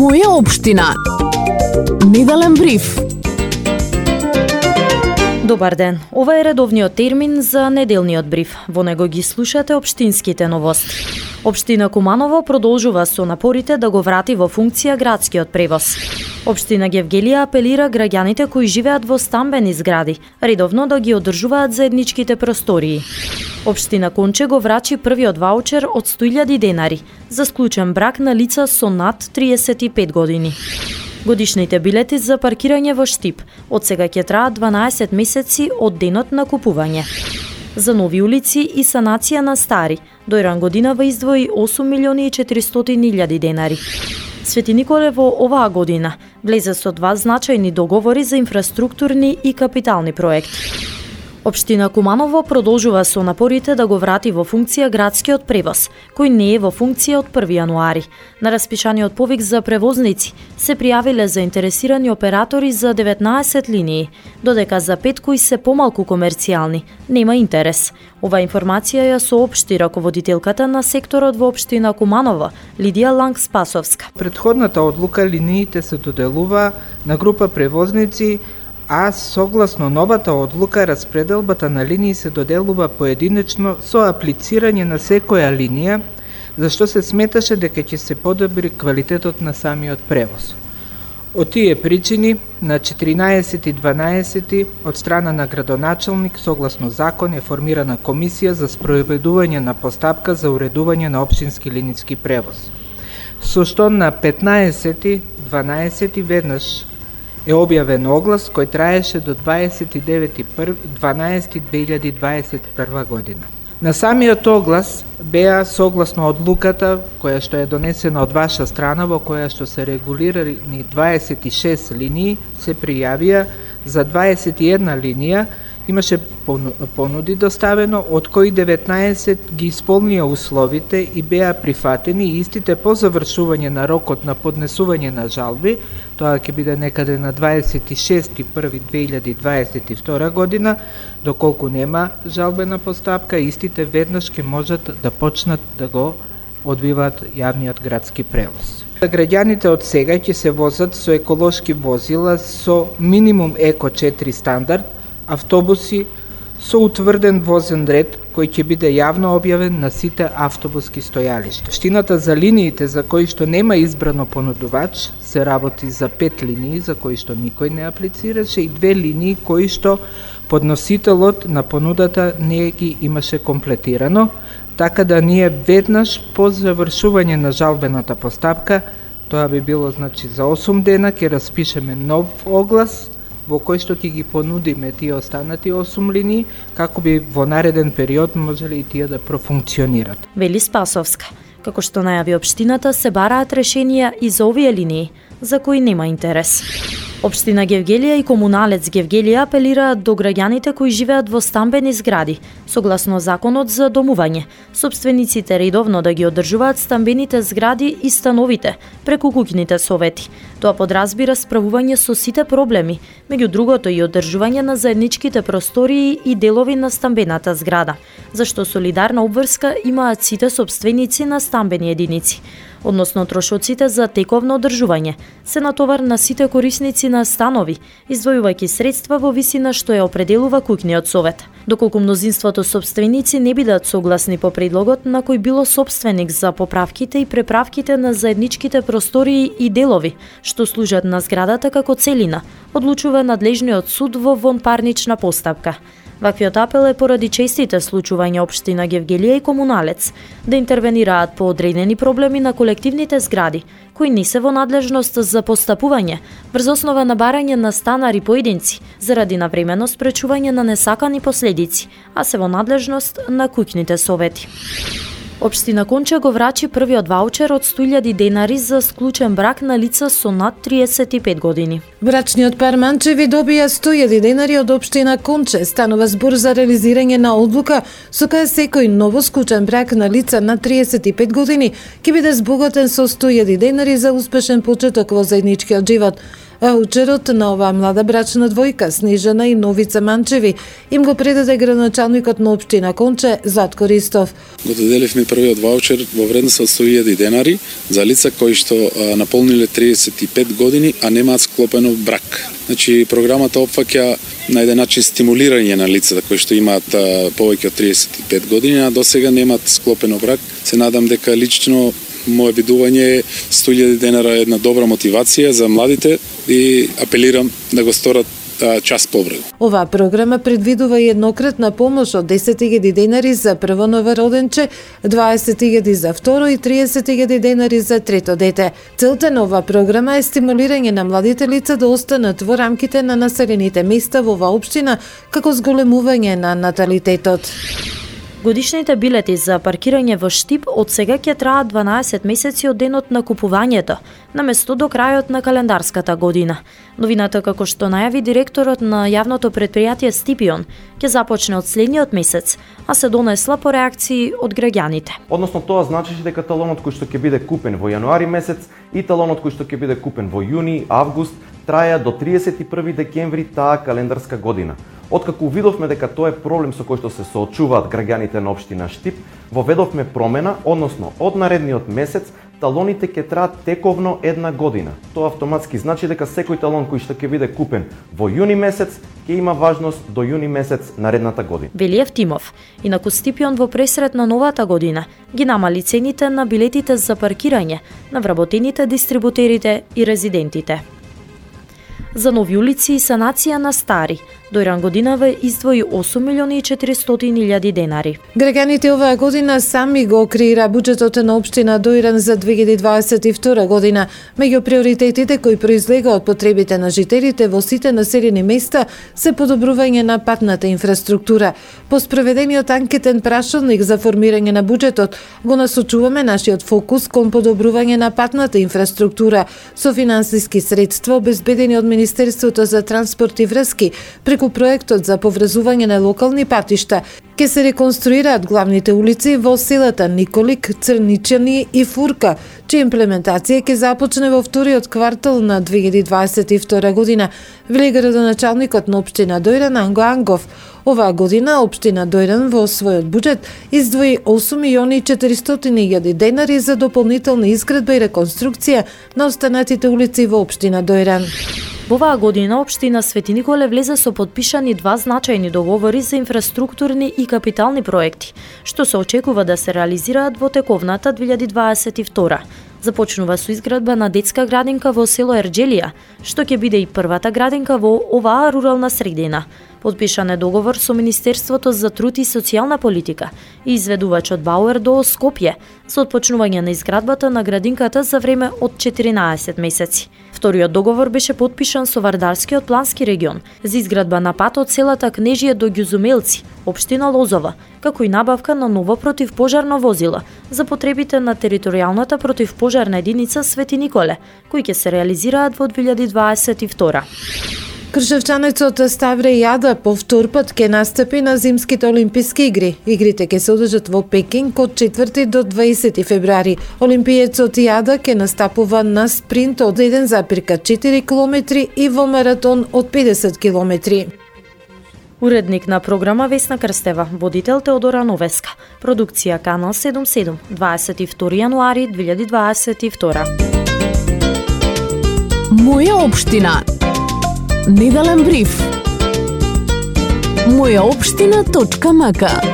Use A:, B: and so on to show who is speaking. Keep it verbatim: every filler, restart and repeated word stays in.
A: Моја општина. Неделен бриф.
B: Добар ден. Ова е редовниот термин за неделниот бриф. Во него ги слушате општинските новости. Општина Куманово продолжува со напорите да го врати во функција градскиот превоз. Општина Гевгелија апелира граѓаните кои живеат во стамбени згради редовно да ги одржуваат заедничките простории. Општина Конче го врачи првиот ваучер од сто илјади денари за склучен брак на лица со над триесет и пет години. Годишните билети за паркирање во Штип од сега ќе траат дванаесет месеци од денот на купување. За нови улици и санација на стари, Дојран годинава издвои осум милиони и четиристотини илјади денари. Свети Николе во оваа година влезе со два значајни договори за инфраструктурни и капитални проекти. Општина Куманово продолжува со напорите да го врати во функција градскиот превоз, кој не е во функција од први јануари. На распишаниот повик за превозници се пријавиле заинтересирани оператори за деветнаесет линии, додека за пет кои се помалку комерцијални нема интерес. Ова информација ја соопшти раководителката на секторот во општина Куманово, Лидија Ланг-Спасовска.
C: Претходната одлука линиите се доделува на група превозници, а согласно новата одлука распределбата на линии се доделува поединечно со аплицирање на секоја линија, зашто се сметаше дека ќе се подобри квалитетот на самиот превоз. Од тие причини, на четиринаесети и дванаесети од страна на градоначалник, согласно закон, е формирана комисија за спроведување на постапка за уредување на општински линиски превоз. Со што на петнаесети, дванаесети веднаш е објавен оглас кој траеше до дваесет и девети дванаесети две илјади дваесет и прва година. На самиот оглас беа согласно одлуката која што е донесена од ваша страна, во која што се регулирани дваесет и шест линии, се пријавија за дваесет и една линија, имаше понуди доставено, од кои деветнаесет ги исполнија условите и беа прифатени, и истите по завршување на рокот на поднесување на жалби, тоа ќе биде некаде на дваесет и шести први две илјади дваесет и втора година, доколку нема жалбена постапка, истите веднаш ќе можат да почнат да го одвиваат јавниот градски превоз. Граѓаните од сега ќе се возат со еколошки возила со минимум еко четири стандард, автобуси со утврден возен ред кој ќе биде јавно објавен на сите автобуски стојалишта. Општината за линиите за кои што нема избрано понудувач се работи за пет линии за кои што никој не аплицираше и две линии кои што подносителот на понудата не ги имаше комплетирано, така да ние веднаш по завршување на жалбената постапка, тоа би било значи за осум дена, ќе распишеме нов оглас во кој што ќе ги понудиме тие останати осум линии, како би во нареден период можеле и тие да профункционират.
B: Вели Спасовска. Како што најави општината, се бараат решенија и за овие линии, за кои нема интерес. Општина Гевгелија и комуналец Гевгелија апелираат до граѓаните кои живеат во стамбени згради, согласно законот за домување. Собствениците редовно да ги одржуваат стамбените згради и становите преку куќните совети. Тоа подразбира справување со сите проблеми, меѓу другото и одржување на заедничките простории и делови на стамбената зграда, зашто солидарна обврска имаат сите собственици на стамбени единици. Односно трошоците за тековно одржување се натовар на сите корисници на станови, издвојувајќи средства во висина што ја определува куќниот совет. Доколку мнозинството собственици не бидат согласни по предлогот на кој било собственик за поправките и преправките на заедничките простории и делови што служат на зградата како целина, одлучува надлежниот суд во вонпарнична постапка. Ваквиот апел е поради честите случувања општина Гевгелија и комуналец да интервенираат по одредени проблеми на колективните згради, кои не се во надлежност за постапување врз основа на барање на станари поединци заради навремено спречување на несакани последици, а се во надлежност на куќните совети. Општина Конче го врачи првиот ваучер од сто илјади денари за склучен брак на лица со над триесет и пет години.
D: Брачниот пар Манчеви добија сто илјади денари од општина Конче. Станува збор за реализирање на одлука со која секој новоскучен брак на лица на триесет и пет години ќе биде збогатен со сто илјади денари за успешен почеток во заедничкиот живот. Ваучерот на оваа млада брачна двојка, Снежана и Новица Манчеви, им го предаде градоначалникот на општина Конче, Златко Ристов.
E: Го доделивме првиот ваучер во вредност од сто илјади денари за лица кои што а, наполниле триесет и пет години, а немаат склопено брак. Значи, програмата опфаќа на еден начин стимулирање на лицата кои што имаат а, повеќе од триесет и пет години, а досега немаат склопено брак. Се надам дека лично моје видување сто илјади денара е една добра мотивација за младите и апелирам да го сторат час побрзо.
D: Оваа програма предвидува и еднократна помош од десет илјади денари за прво новороденче, дваесет илјади за второ и триесет илјади денари за трето дете. Целта на оваа програма е стимулирање на младите лица да останат во рамките на населените места во оваа општина, како зголемување на наталитетот.
B: Годишните билети за паркирање во Штип од сега ќе траат дванаесет месеци од денот на купувањето, наместо до крајот на календарската година. Новината, како што најави директорот на јавното претпријатие Стипион, ќе започне од следниот месец, а се донесла по реакции од граѓаните.
F: Односно тоа значеше дека талонот кој што ќе биде купен во јануари месец и талонот кој што ќе биде купен во јуни, август, траја до триесет и први декември таа календарска година. Откако видовме дека тоа е проблем со кој што се соочуваат граѓаните на општина Штип, воведовме промена, односно од наредниот месец талоните ќе траат тековно една година. Тоа автоматски значи дека секој талон кој што ќе биде купен во јуни месец ќе има важност до јуни месец наредната година.
B: Вели Евтимов. Инаку Стипион во пресрет на новата година ги намали цените на билетите за паркирање на вработените дистрибутерите и резидентите. За нови улици и санација на стари, Дојран годинава издвои осум милиони и четиристотини илјади денари.
D: Граѓаните оваа година сами го креира буџетот на општина Дојран за две илјади дваесет и втора година. Меѓу приоритетите кои произлега од потребите на жителите во сите населени места се подобрување на патната инфраструктура. По спроведениот анкетен прашалник за формирање на буџетот го насочуваме нашиот фокус кон подобрување на патната инфраструктура со финансиски средства обезбедени од Министерството за транспорт и врски преку проектот за поврзување на локални патишта. Ке се реконструираат главните улици во селата Николик, Црничани и Фурка, чија имплементација ќе започне во вториот квартал на две илјади дваесет и втора година, вели градоначалникот на општина Дојран Анго Ангов. Оваа година општина Дојран во својот буџет издвои осум милиони и четиристотини илјади денари за дополнителна изградба и реконструкција на останатите улици во општина Дојран.
B: Во оваа година општина Свети Николе влезе со подпишани два значајни договори за инфраструктурни и капитални проекти, што се очекува да се реализираат во тековната две илјади дваесет и втора. Започнува со изградба на детска градинка во село Ерџелија, што ќе биде и првата градинка во оваа рурална средина. Подпишан е договор со Министерството за труд и социјална политика и изведувачот Бауер до Скопје за отпочнување на изградбата на градинката за време од четиринаесет месеци. Вториот договор беше подпишан со Вардарскиот плански регион за изградба на пат од селата Кнежие до Ѓузумелци, општина Лозова, како и набавка на ново противпожарно возило за потребите на територијалната противпожарна единица Свети Николе, кои ќе се реализираат во две илјади дваесет и втора.
D: Кршевчанецот Ставре Јада по втор пат ќе настапи на зимските олимписки игри. Игрите ќе се одржат во Пекинг од четврти до дваесети февруари. Олимпиецот Јада ќе настапува на спринт од еден запирка четири километри и во маратон од педесет километри.
B: Уредник на програма Весна Крстева, водител Теодора Новеска. Продукција Канал седумдесет и седум, дваесет и втори јануари две илјади дваесет и втора.
A: Моја општина. Неделен бриф. моја општина точка м к